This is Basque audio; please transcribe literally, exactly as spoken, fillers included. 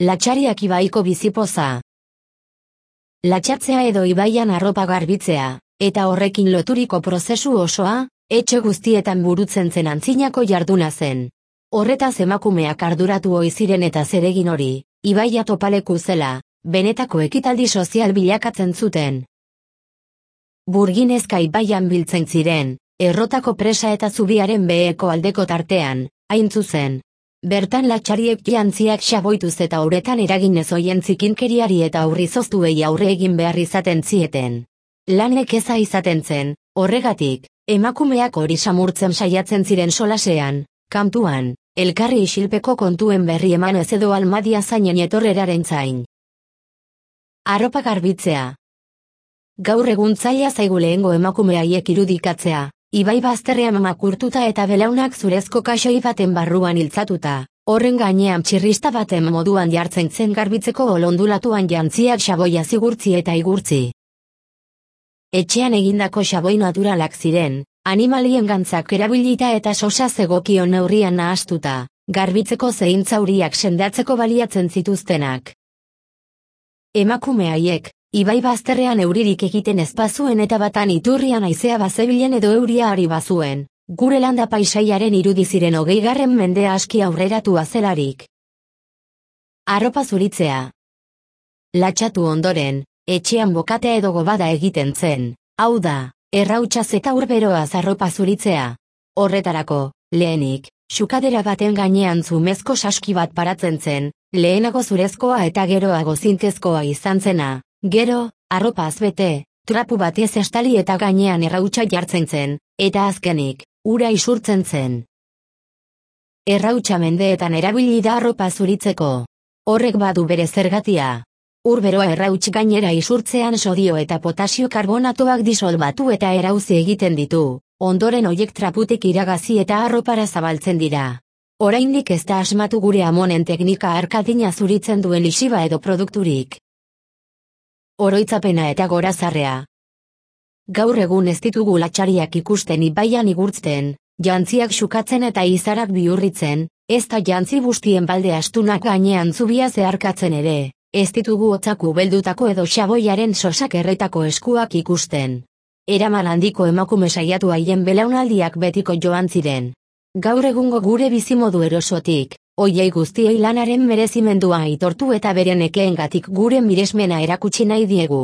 Latxariak ibaiko bizipoza. Latxatzea edo ibaian arropa garbitzea, eta horrekin loturiko prozesu osoa, etxe guztietan burutzen zen antzinako jarduna zen. Horretaz emakumeak arduratu ohi ziren eta zeregin hori, ibaia topaleku zela, benetako ekitaldi sozial bilakatzen zuten. Burginezka ibaian biltzen ziren, Errotako presa eta zubiaren beheko aldeko tartean, hain zuzen. Bertan latxariek jantziak xaboituz eta uretan eragin ez oien zikinkeriari eta aurrizoztuei aurre egin behar izaten zieten. Lanek eza izaten zen, horregatik, emakumeak hori samurtzen saiatzen ziren solasean, kantuan, elkarri isilpeko kontuen berri eman ez edo almadia zainen etorreraren zain. Arropa garbitzea. Gaur egun zaila zaigu lehengo emakume haiek irudikatzea, ibai bazterrean makurtuta eta belaunak zurezko kaxoi baten barruan iltzatuta, horren gainean txirrista baten moduan jartzen zen garbitzeko olondulatuan jantziak xaboia zigurtzi eta igurtzi. Etxean egindako xaboi naturalak ziren, animalien gantzak erabilita eta sosa zegokion neurrian nahastuta, garbitzeko zein zauriak sendatzeko baliatzen zituztenak. Emakume haiek, ibai bazterrean euririk egiten ezpazuen eta batan iturrian haizea bazebilen edo euria ari bazuen, gure landa paisaiaren irudi ziren hogeigarren mendea aski aurreratua zelarik. Arropa zuritzea. Latxatu ondoren, etxean bokatea edo gobada egiten zen, hau da, errautsaz eta urberoaz arropa zuritzea. Horretarako, lehenik, xukadera baten gainean zumezko saski bat paratzen zen, lehenago zurezkoa eta geroago zintezkoa izan zena. Gero, arropaz bete, trapu batez estali eta gainean errautsa jartzen zen, eta azkenik, ura isurtzen zen. Errautsa mendeetan erabili da arropa zuritzeko. Horrek badu bere zergatia. Urberoa errauts gainera isurtzean sodio eta potasio karbonatoak disolbatu eta erauzi egiten ditu, ondoren hoiek traputik iragazi eta arropara zabaltzen dira. Oraindik ez da asmatu gure amonen teknika arkadina zuritzen duen lixiba edo produkturik. Oroitzapena eta gorazarrea. Gaur egun ez ditugu latxariak ikusten ibaian igurtzen, jantziak xukatzen eta izarak bihurritzen, ez da jantzi bustien balde astunak gainean zubia zeharkatzen ere, ez ditugu hotzaku beldutako edo xaboiaren sosak erretako eskuak ikusten. Eraman handiko emakume saiatu haien belaunaldiak betiko joan ziren. Gaur egungo gure bizimodu erosotik, hoiei guztiei lanaren merezimendua aitortu eta beren ekeengatik gure miresmena erakutsi nahi diegu.